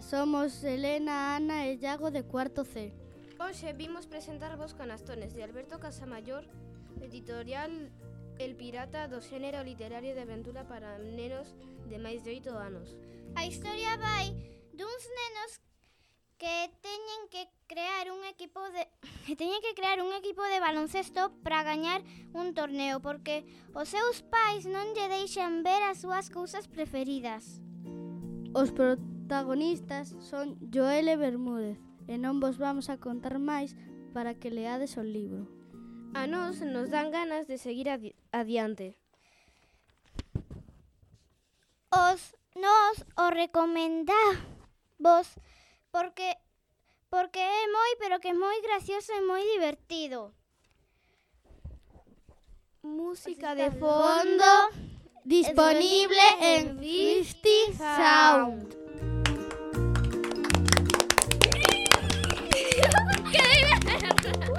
somos Elena, Ana e Iago de cuarto C. Hoxe vimos presentarvos Canastones de Alberto Casamayor, editorial El Pirata, do xénero literario de aventura para nenos de máis de 8 anos. A historia vai duns nenos que teñen que crear un equipo de baloncesto para gañar un torneo, porque os seus pais non lle deixan ver as súas cousas preferidas. Os protagonistas son Joel e Bermúdez, e non vos vamos a contar máis para que leades o libro. A nós nos dan ganas de seguir adiante. Nos o recomendamos porque é moi gracioso e moi divertido. Música de fondo Disponible en 50 Sound.